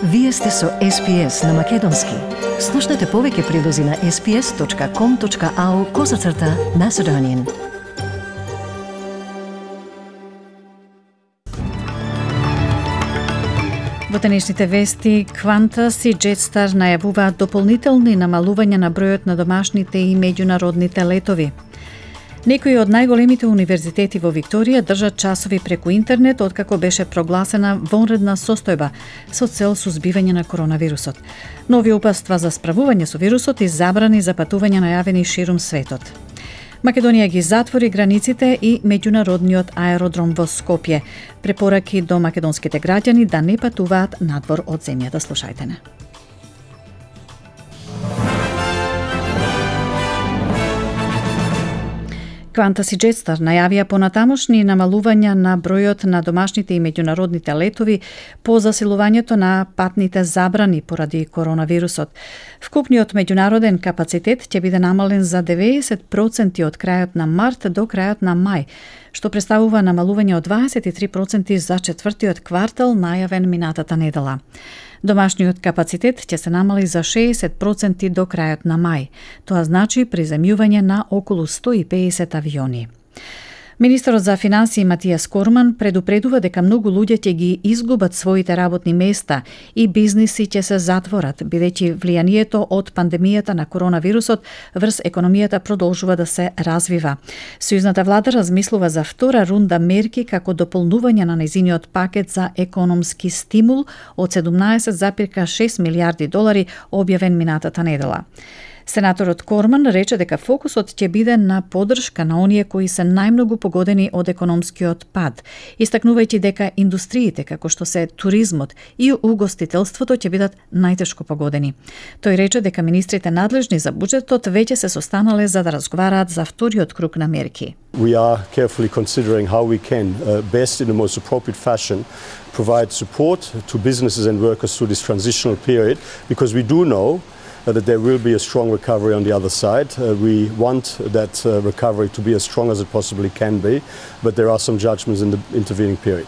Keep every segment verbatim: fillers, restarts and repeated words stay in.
Вие сте со Ес Пи Ес на Македонски. Слушнете повеќе прилози на ес пи ес точка ком точка ау козацрта Macedonian. Во денешните вести, Qantas и Jetstar најавуваат дополнителни намалувања на бројот на домашните и меѓународните летови. Некои од најголемите универзитети во Викторија држат часови преку интернет откако беше прогласена вонредна состојба со цел сузбивање на коронавирусот. Нови упатства за справување со вирусот и забрани за патување најавени ширум светот. Македонија ги затвори границите и меѓународниот аеродром во Скопје. Препораки до македонските граѓани да не патуваат надвор од земјата. Слушајте не. Qantas и Jetstar најавија понатамошни намалувања на бројот на домашните и меѓународните летови по засилувањето на патните забрани поради коронавирусот. Вкупниот меѓународен капацитет ќе биде намален за деветдесет проценти од крајот на март до крајот на мај, што представува намалување од дваесет и три проценти за четвртиот квартал најавен минатата недела. Домашниот капацитет ќе се намали за шеесет проценти до крајот на мај. Тоа значи приземјување на околу сто и педесет авиони. Министерот за финансии Матијас Корман предупредува дека многу луѓе ќе ги изгубат своите работни места и бизниси ќе се затворат, бидејќи влијанието од пандемијата на коронавирусот врз економијата продолжува да се развива. Сојузната влада размислува за втора рунда мерки како дополнување на нејзиниот пакет за економски стимул од седумнаесет зарез шест милијарди долари објавен минатата недела. Сенаторот Корман рече дека фокусот ќе биде на поддршка на оние кои се најмногу погодени од економскиот пад, истакнувајќи дека индустриите како што се туризмот и угостителството ќе бидат најтешко погодени. Тој рече дека министрите надлежни за буџетот веќе се состанале за да разговараат за вториот круг на мерки. We are carefully considering how we can uh, best in the most appropriate fashion provide support to businesses and workers through this transitional period, because we do know that there will be a strong recovery on the other side. Uh, we want that uh, recovery to be as strong as it possibly can be, but there are some judgments in the intervening period.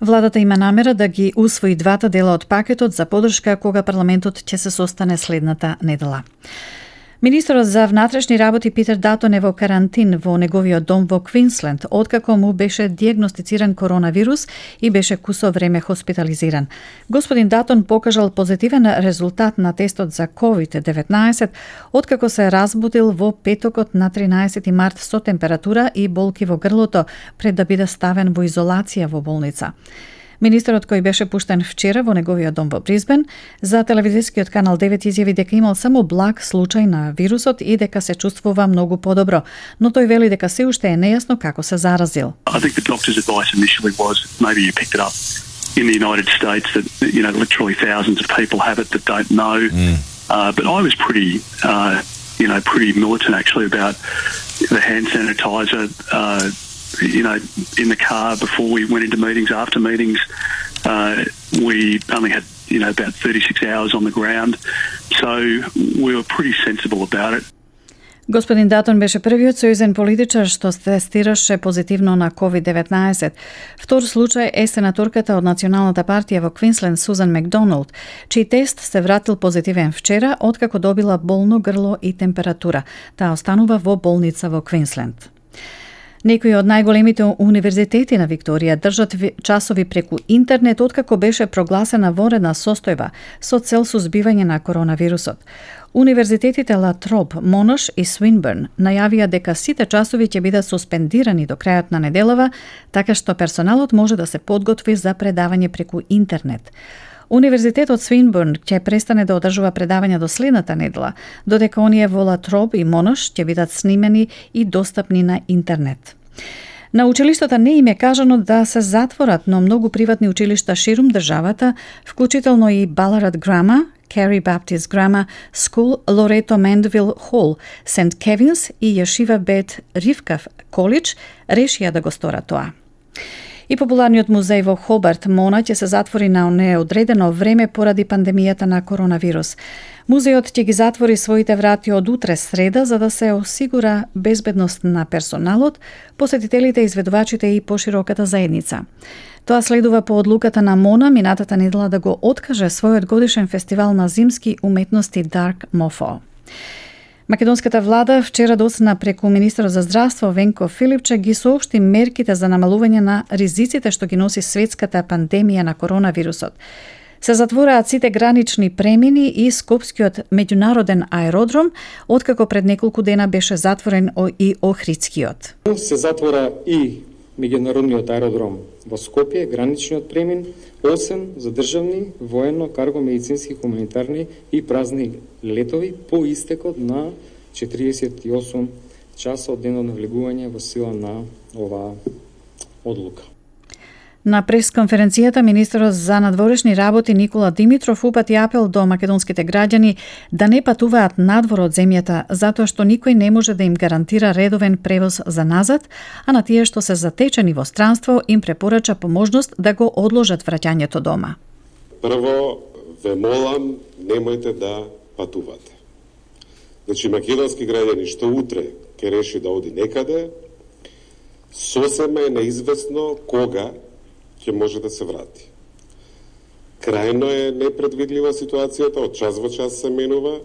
Владата има намера да ги усвои двата дела од пакетот за поддршка кога парламентот ќе се состане следната недела. Министерот за внатрешни работи Питер Датон е во карантин во неговиот дом во Квинсленд, откако му беше диагностициран коронавирус и беше кусо време хоспитализиран. Господин Датон покажал позитивен резултат на тестот за ковид деветнаесет, откако се разбудил во петокот на тринаесети март со температура и болки во грлото пред да биде ставен во изолација во болница. Министерот, кој беше пуштен вчера во неговиот дом во Бризбен, за телевизискиот канал девет изјави дека имал само благ случај на вирусот и дека се чувствува многу подобро, но тој вели дека се уште е нејасно како се заразил. I think the doctor's advice initially was maybe you picked it up in the United States, that you know literally thousands of people have it that don't know. Mm. Uh, but I was pretty uh, you know pretty militant actually about the hand sanitizer uh you know, in the car before we went into meetings, after meetings. Uh, we only had, you know, about thirty-six hours on the ground. So we were pretty sensible about it. Господин Датон беше првиот сојузен политичар што се тестираше позитивно на ковид деветнаесет. Втор случај е сенаторката од Националната партија во Квинсленд Сузан Макдоналд, чиј тест се вратил позитивен вчера откако добила болно грло и температура. Таа останува во болница во Квинсленд. Некои од најголемите универзитети на Викторија држат часови преку интернет откако беше прогласена вонредна состојба со цел сузбивање на коронавирусот. Универзитетите Ла Троп, Монош и Свинберн најавија дека сите часови ќе бидат суспендирани до крајот на неделава, така што персоналот може да се подготви за предавање преку интернет. Универзитетот Свинберн ќе престане да одржува предавања до следната недела, додека оние во Ла Троп и Монош ќе бидат снимени и достапни на интернет. На училиштата не им е кажано да се затворат, но многу приватни училишта ширум државата, вклучително и Баларат Грама, Carey Baptist Grammar School, Loreto Mandeville Hall, Сент Кевинс и Јешива Бет Ривка Колидж, решија да го сторат тоа. И популарниот музеј во Хобарт, Мона, ќе се затвори на неодредено време поради пандемијата на коронавирус. Музејот ќе ги затвори своите врати од утре среда за да се осигура безбедност на персоналот, посетителите, изведувачите и пошироката заедница. Тоа следува по одлуката на МОНА минатата недела да го откаже својот годишен фестивал на зимски уметности Dark Mofo. Македонската влада вчера доцна преку министерот за здравство Венко Филипче ги соопшти мерките за намалување на ризиците што ги носи светската пандемија на коронавирусот. Се затвораат сите гранични премини и Скопскиот меѓународен аеродром, откако пред неколку дена беше затворен и Охридскиот. Се затвора и меѓународниот аеродром во Скопје, граничниот премин, осем за државни, воено, карго, медицински, хуманитарни и празни летови по истекот на четириесет и осум часа од денот на влегување во сила на оваа одлука. На пресконференцијата министерот за надворешни работи Никола Димитров упати апел до македонските граѓани да не патуваат надвор од земјата, затоа што никој не може да им гарантира редовен превоз за назад, а на тие што се затечени во странство им препорача поможност да го одложат враќањето дома. Прво, ве молам, немојте да патувате. Значи, македонски граѓани што утре ќе реши да оди некаде, сосема е неизвестно кога ќе може да се врати. Крајно е непредвидлива ситуацијата, од час во час се менува,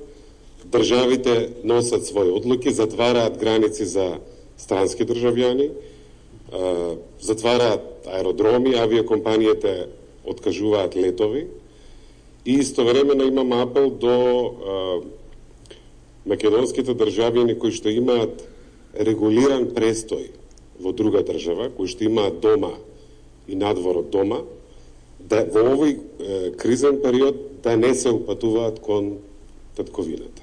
државите носат своји одлуки, затвараат граници за странски државјани, затвараат аеродроми, авиакомпаниите откажуваат летови и истовремено имам апел до македонските државјани кои што имаат регулиран престој во друга држава, кои што имаат дома и надвор од дома, да во овој е, кризен период да не се упатуваат кон татковината.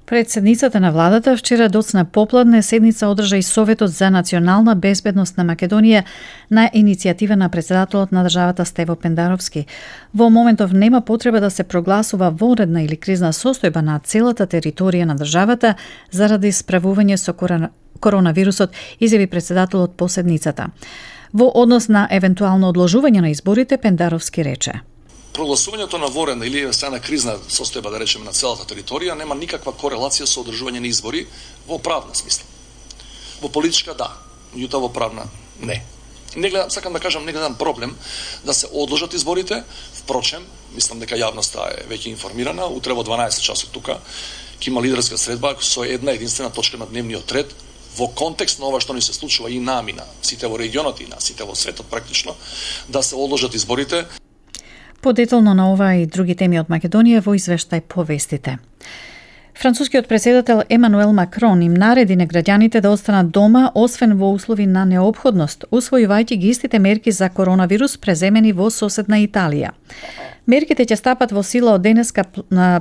Председницата на владата вчера доцна попладне седница одржа и Советот за национална безбедност на Македонија на иницијатива на председателот на државата Стево Пендаровски. Во моментов нема потреба да се прогласува вонредна или кризна состојба на целата територија на државата заради справување со коронавирусот, изјави председателот по седницата. Во однос на евентуално одложување на изборите, Пендаровски рече: Прогласувањето на ворена или евентуална кризна состојба, да речеме, на целата територија нема никаква корелација со одржување на избори во правна смисла. Во политичка да, меѓутоа во правна не. Не гледам, сакам да кажам, не гледам проблем да се одложат изборите, впрочем, мислам дека јавноста е веќе информирана, утре во дванаесет часот тука ќе има лидерска средба со една единствена точка на дневниот ред во контекст на ова што ни се случува и нами, на сите во регионот и на сите во светот практично, да се одложат изборите. Подетално на ова и други теми од Македонија во извештај по вестите. Францускиот претседател Емануел Макрон им нареди на граѓаните да останат дома, освен во услови на неопходност, усвојувајќи ги истите мерки за коронавирус преземени во соседна Италија. Мерките ќе стапат во сила од денеска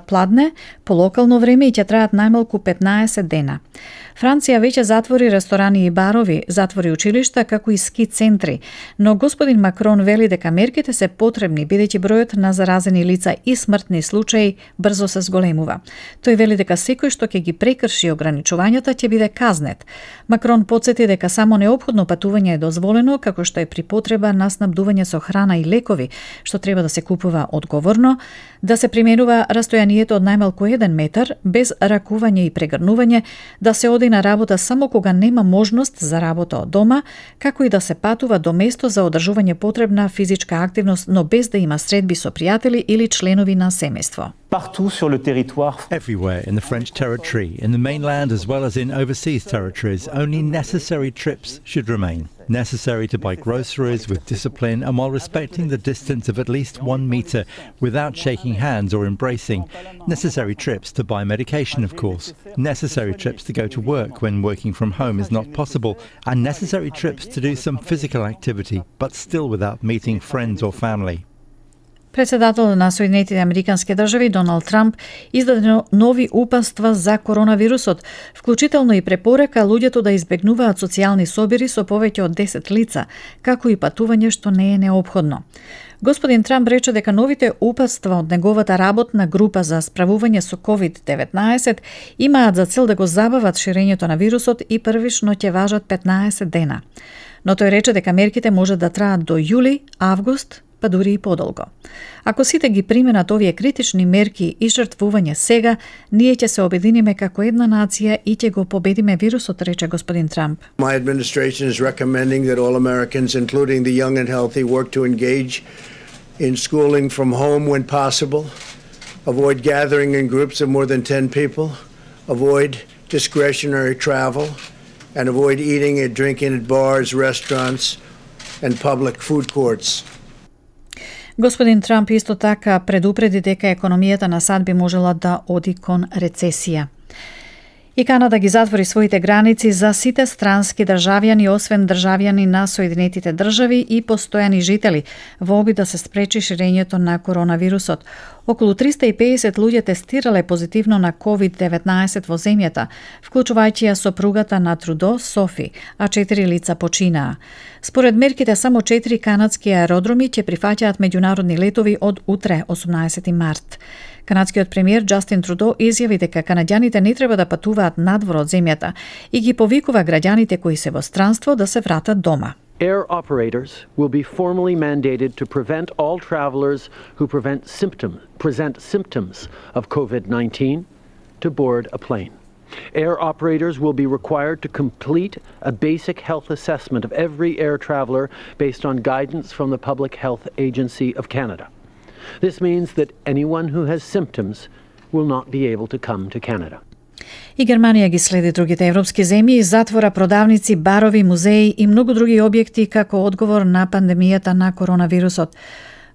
пладне по локално време и ќе траат најмалку петнаесет дена. Франција веќе затвори ресторани и барови, затвори училишта, како и ски центри, но господин Макрон вели дека мерките се потребни бидејќи бројот на заразени лица и смртни случаи брзо се зголемува. Тој вели дека секој што ќе ги прекрши ограничувањата ќе биде казнет. Макрон потсети дека само неопходно патување е дозволено, како што е при потреба на снабдување со храна и лекови, што треба да се купува одговорно, да се применува растојанието од најмалку еден метар, без ракување и прегрнување, да се оди на работа само кога нема можност за работа од дома, како и да се патува до место за одржување потребна физичка активност, но без да има средби со пријатели или членови на семејство. Partout sur le territoire. Everywhere in the French territory, in the mainland as well as in overseas territories, only necessary trips should remain. Necessary to buy groceries with discipline and while respecting the distance of at least one metre without shaking hands or embracing. Necessary trips to buy medication, of course. Necessary trips to go to work when working from home is not possible. And necessary trips to do some physical activity, but still without meeting friends or family. Председателот на Соединетите Американски држави Доналд Трамп издаде нови упатства за коронавирусот, вклучително и препорека луѓето да избегнуваат социјални собири со повеќе од десет лица, како и патување што не е неопходно. Господин Трамп рече дека новите упатства од неговата работна група за справување со ковид деветнаесет имаат за цел да го забават ширењето на вирусот и првично ќе важат петнаесет дена. Но тој рече дека мерките може да траат до јули, август па дури и подолго. Ако сите ги применат овие критични мерки и жртвување сега, ние ќе се обединиме како една нација и ќе го победиме вирусот, рече господин Трамп. My administration is recommending that all Americans, including the young and healthy, work to engage in schooling from home when possible, avoid gathering in groups of more than ten people, avoid discretionary travel, and avoid eating and drinking at bars, restaurants, and public food courts. Господин Трамп исто така предупреди дека економијата на САД би можела да оди кон рецесија. И Канада ги затвори своите граници за сите странски државјани, освен државјани на Соединетите држави и постојани жители, во обид да се спречи ширењето на коронавирусот. Околу триста и педесет луѓе тестирале позитивно на ковид деветнаесет во земјата, вклучувајќи ја сопругата на Трудо, Софи, а четири лица починаа. Според мерките, само четири канадски аеродроми ќе прифаќаат меѓународни летови од утре, осумнаесети март. Канадскиот премиер Џастин Трудо изјави дека канаѓаните не треба да патуваат надвор од земјата и ги повикува граѓаните кои се во странство да се вратат дома. Air operators will be formally mandated to prevent all travelers who prevent symptom, present symptoms of COVID nineteen to board a plane. Air operators will be required to complete a basic health assessment of every air traveler based on guidance from the Public Health Agency of Canada. This means that anyone who has symptoms will not be able to come to Canada. И Германија ги следи другите европски земји и затвора продавници, барови, музеи и многу други објекти како одговор на пандемијата на коронавирусот.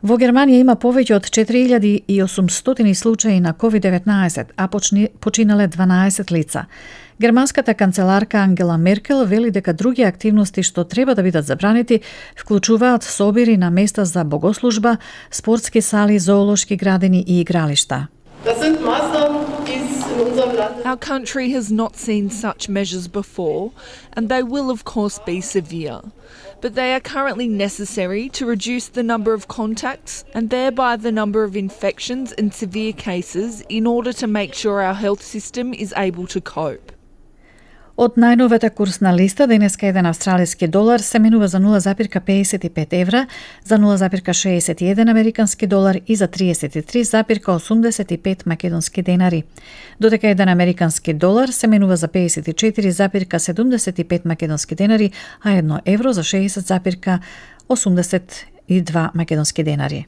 Во Германија има повеќе од четири илјади и осумстотини случаи на ковид деветнаесет, а почни, починале дванаесет лица. Германската канцеларка Ангела Меркел вели дека други активности што треба да бидат забранети вклучуваат собири на места за богослужба, спортски сали, зоолошки градини и игралишта. Our country has not seen such measures before, and they will of course be severe. But they are currently necessary to reduce the number of contacts and thereby the number of infections and severe cases in order to make sure our health system is able to cope. Од најновата курсна листа, денеска еден австралиски долар се менува за нула запирка педесет и пет евра, за нула запирка шеесет и еден американски долар и за триесет и три запирка осумдесет и пет македонски денари. Додека еден американски долар се менува за педесет и четири запирка седумдесет и пет македонски денари, а едно евро за шеесет запирка осумдесет и два македонски денари.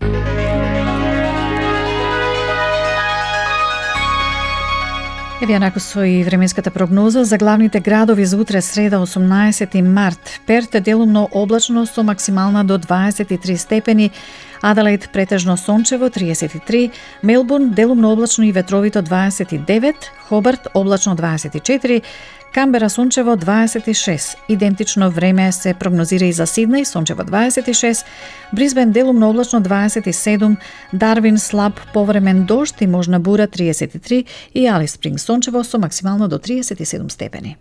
Еве јанако со и временската прогноза за главните градови за утре среда осумнаесети март. Перт делумно облачно со максимална до дваесет и три степени, Аделаид претежно сончево триесет и три, Мелбурн делумно облачно и ветровито дваесет и девет, Хобарт облачно дваесет и четири, Камбера сончево дваесет и шест. Идентично време се прогнозира и за Сиднеј, сончево дваесет и шест, Брисбен делумно облачно дваесет и седум, Дарвин слаб повремен дожд и можна бура триесет и три и Алис Спринг сончево со максимално до триесет и седум степени.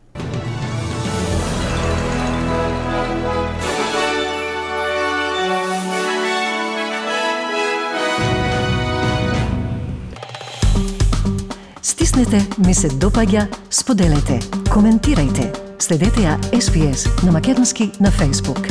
Стиснете, ми се допаѓа, споделете, коментирајте. Следете ја Ес Би Ес на македонски на Facebook.